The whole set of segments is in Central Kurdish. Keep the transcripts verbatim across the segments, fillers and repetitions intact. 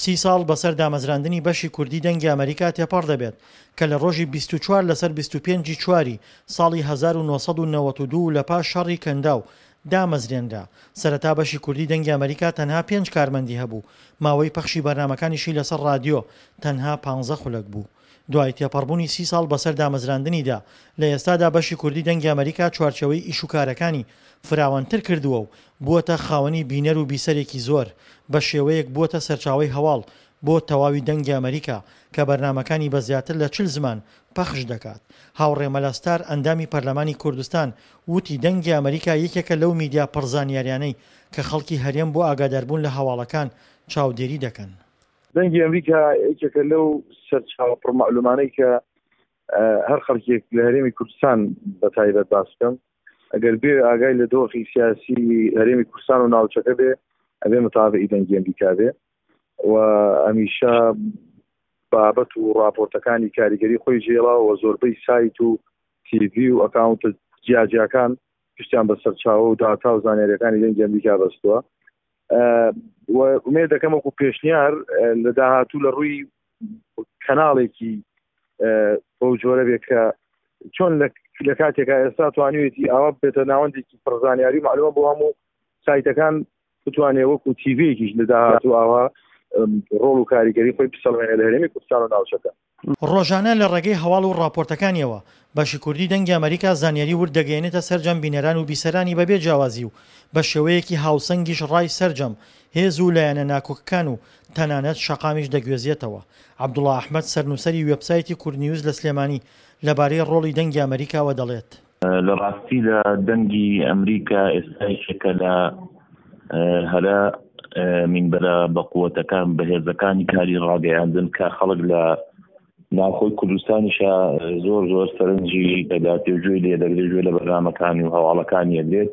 سی ساڵ بەسەر دامەزراندنی بەشی کوردی دەنگی ئەمەریکا تێپەڕ دەبێت کە لە ڕۆژی بیست و چوار لەسەر بیست و پێنج ی چواری ساڵی هەزار و نۆ سەد و نەوەد و دوو لە پاش شەڕی کەنداو دامەزرێنرا. سەرەتا بەشی کوردی دەنگی ئەمەریکا تەنها پێنج کارمەندی هەبوو، ماوەی پەخشی بەرنامەکانیشی لەسەر ڕادیۆ تەنها پانزە خولەک بوو. دوای تێپەڕبوونی سی ساڵ بەسەر دامەزراندنیدا، لە ئێستادا بەشی کوردی دەنگی ئەمەریکا چوارچێوەی ئیشوکارەکانی فراوانتر کردووە و بووەتە خاوەنی بینەر و بیسەرێکی زۆر، بە شێوەیەک بووەتە سەرچاوەی هەواڵ بۆ تەواوی دەنگی ئەمەریکا کە بەرنامەکانی بە زیاتر لە چل زمان پەخش دەکات. هاوڕێ مەلا ستار ئەندامی پەرلەمانی کوردستان وتی دەنگی ئەمەریکا یەکێکە لەو میدیا پڕ زانیاریانەی کە خەڵکی هەرێم بۆ ئاگاداربوون لە هەواڵەکان چاودێری دەکەن. دەنگی ئەمریکا یەکێکە لەو سەرچاوە پڕ مەعلومانەی کە هەر خەڵکێک لە هەرێمی کوردستان بە تایبەت باس بکەم ئەگەر بێ ئاگای لە دۆخی سیاسی هەرێمی کوردستان و ناوچەکە بێ ئەبێ متابعی دەنگی ئەمریکا بێ و هەمیشە بابەت و راپۆرتەکانی کاریگەری خۆی جێڵا و زۆربەی سایت و تیڤی و ئەکاونتە جیاجیاکان پشتیان بە سەرچاوە و داتا و زانیاریەکانی دەنگی ئەمریکا بەستووە. ئومێد دەکەم وەکو پێشنیار لە داهاتوو لە ڕووی کەناڵێکی بەو جۆرە بێ کە چۆن لە کاتێکا ئێستا توانیوێتی ئاوا بێتە ناوەندێکی پڕزانیاری و معلومە بۆ هەموو سایتەکان بتوانێت وەکو تیڤیەکیش لە داهاتوو ئاوا ڕۆڵ و کاریگەری خۆی بسەڵمێنێ لە هەرێمی کوردستان و ناوچەکە. ڕۆژانە لە ڕێگەی هەواڵ و ڕاپۆرتەکانیەوە بەشی کوردی دەنگی ئەمەریکا زانیاری ورد دەگەیەنێتە سەرجەم بینەران و بیسەرانی بەبێ جیاوازی و بە شێوەیەکی هاوسەنگیش ڕای سەرجەم هێز و لایەنە ناکۆکەکان و تەنانەت شەقامیش دەگوێزێتەوە. عەبدوڵا ئەحمەد سەرنووسەری وێبسایتی کوردنیوز لە سلێمانی لەبارەی ڕۆڵی دەنگی ئەمەریکاوە دەڵێت. لە ڕاستیدا دەنگی ئەمریکا ئێستا یەکێکە لە هەرە مینبەرە بەقوەتەکان بەهێزەکانی کاری ڕاگەیاندن کە خەڵک لە ناوخۆی کوردستانیشە زۆر زۆر سەرنجی دەداتێ و گوێی لێ دەگرێت، گوێ لە بەرنامەکانی و هەواڵەکانی ئەگرێت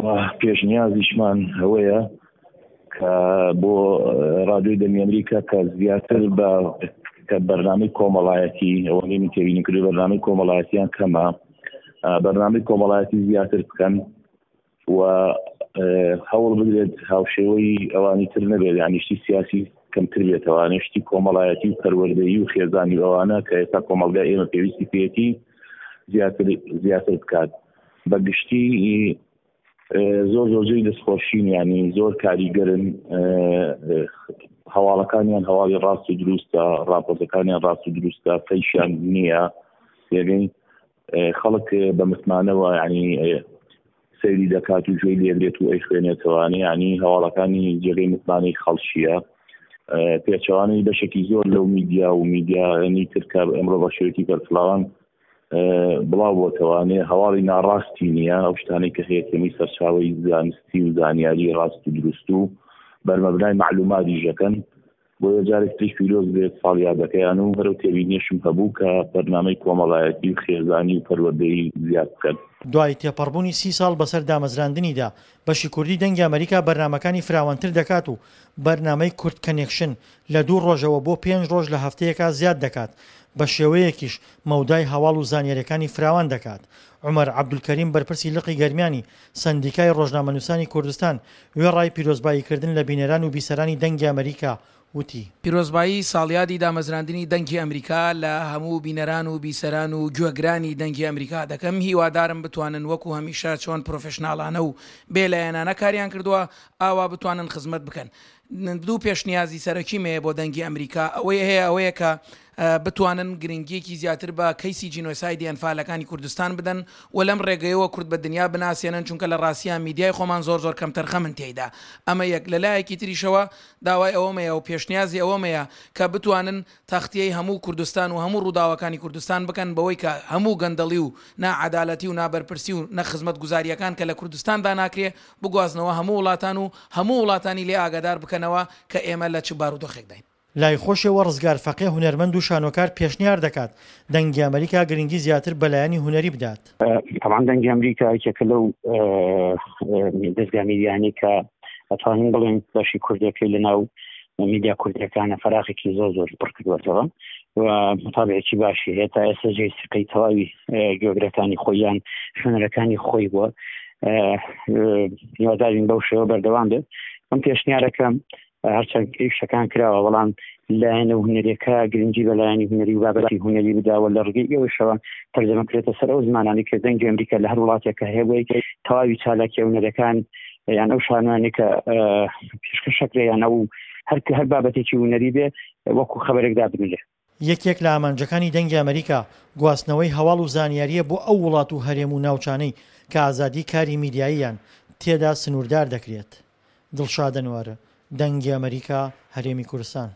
و پێشنیازیشمان ئەوەیە کە بۆ رادیۆی دەنگی ئەمریکا کە زیاتر بە کە بەرنامەی کۆمەڵایەتی ئەوەی من تێبینی کردووە بەرنامەی کۆمەڵایەتیان کەمە، بەرنامەی کۆمەڵایەتی زیاتر بکەن و هەوڵ بدرێت هاوشێوەی ئەوانی تر نەبێت، یعنی شتی سیاسی کەمتر بێتەوانێ شتی کۆمەڵایەتی و پەروەردەیی و خێزانی ئەوانە کە ئێستا کۆمەڵگای ئێمە پێویستی پێیەتی زیاتر زیاتر بکات. بە گشتی زۆر زۆر جێی دەستخۆشین، یعنی زۆر کاریگەرن، هەواڵەکانیان هەواڵی ڕاست و دروستە، راپۆرتەکانیان ڕاست و دروستە، فەیشیان نییە، یعنی خەڵک بە متمانەوە یعنی سەیری دەکات و گوێی لێگرێت و ئەیخوێنێتەوانێ، یعنی هەواڵەکانی جێگەی متمانەی خەڵکیە. پێچەوانەی بەشێکی زۆر لەو میدیا و میدیانی تر کە ئەمڕۆ بە شێوەیەکی بەرفراوان بڵاو بۆتەوانێ هەواڵی ناڕاستی نییە، ئەو شتانەی کە هەیە کەمی سەرچاوەی زانستی و زانیاری ڕاست و دروست و بەرمەبنای مەعلوماتیش دەکەن. بۆیە جارێک تریش پیرۆز بێت ساڵیادەکەیان و هەرو تێبینیشم هەبوو کە بەرنامەی کۆمەڵایەتی و خێزانی و پەروەردەیی زیاد بکەن. دوای تێپەڕبوونی سی ساڵ بەسەر دامەزراندنیدا، بەشی کوردی دەنگی ئەمەریکا بەرنامەکانی فراوانتر دەکات و بەرنامەی کورد کەنێکشن لە دوو ڕۆژەوە بۆ پێنج ڕۆژ لە هەفتەیەکا زیاد دەکات، بە شێوەیەکیش مەودای هەواڵ و زانیاریەکانی فراوان دەکات. عومەر عەبدولکەریم بەرپرسی لقی گەرمیانی سەندیکای ڕۆژنامەنووسانی کوردستان وێڕای پیرۆزباییکردن لە بینەران و بیسەرانی دەنگی ئەمەریکا وتی. پیرۆزبایی ساڵیادی دامەزراندنی دەنگی ئەمریکا لە هەموو بینەران و بیسەران و گوێگرانی دەنگی ئەمریکا دەکەم، هیوادارم بتوانن وەکو هەمیشە چۆن پرۆفشناڵانە و بێ لایەنانە کاریان کردووە ئاوا بتوانن خزمەت بکەن. دوو پێشنیازی سەرەکیم هەیە بۆ دەنگی ئەمریکا، ئەوەی هەیە ئەوەیە کە بتوانن گرنگیەکی زیاتر بە کەیسی جینۆسایدی ئەنفالەکانی کوردستان بدەن و لەم ڕێگەیەوە کورد بە دنیا بناسێنن، چونکە لە ڕاستیا میدیای خۆمان زۆر زۆر کەمتەرخەمن تێیدا. ئەمە یەک. لە لایەکی تریشەوە داوای ئەوەمەیە و پێشنیازی ئەوەمەیە کە بتوانن تەختیەی هەموو کوردستان و هەموو ڕووداوەکانی کوردستان بکەن بەوەی کە هەموو گەندەڵی و ناعەدالەتی و نابەرپرسی و نەخزمەتگوزارییەکان کە لە کوردستاندا ناکرێ بگوازنەوە هەموو وڵاتان و هەموو وڵاتانی لێ ئاگادار بکەنەوە کە ئێمە لە چ بارودۆخێکداین. لای خۆشیەوە ڕزگار فەقێ هونەرمەند و شانۆکار پێشنیار دەکات دەنگی ئەمریکا گرنگی زیاتر بە لایەنی هونەری بدات. تەبعەن دەنگی ئەمریکا یەکێکە لەو دەزگا میدیانەی کە ئەتوانین بڵێن بەشی کوردەکەی لەناو میدیا کوردیەکانە فەراغێکی زۆر زۆر پڕ کردووەتەوە و متابعێکی باشی هەیە. تا ئێستا جێی سیقەی تەواوی گوێگرەکانی خۆیان خوێنەرەکانی خۆی بووە. هیوادارین بەو شێوە بەردەوام بێت. ئەم پێشنیارەکەم هەرچەند ئیشەکان کراوە بەڵام لایەنە هونەریەکە گرنگی بە لایەنی هونەری و بابەتی هونەری بداوە لە ڕگەی ئەوەشەوە تەرجەمە کرێتە سەر ئەو زمانانی کە دەنگی ئەمریکا لە هەر وڵاتێکە هەیە بۆی تەواوی چالاکی هونەرەکان یان ئەو شانوانەی کە پێشکەشەکرێ یان ئەو هەر هەر بابەتێکی هونەری بێ وەکو خەبەرێک دابنرێ. یەکێک لە ئامانجەکانی دەنگی ئەمریکا گواستنەوەی هەواڵ و زانیارییە بۆ ئەو وڵات و هەرێم و ناوچانەی کە ئازادی کاری میدیاییان تێدا سنووردار دەکرێت. دڵشاد ئەنوەر، دەنگی ئەمریکا، هەرێمی کوردستان.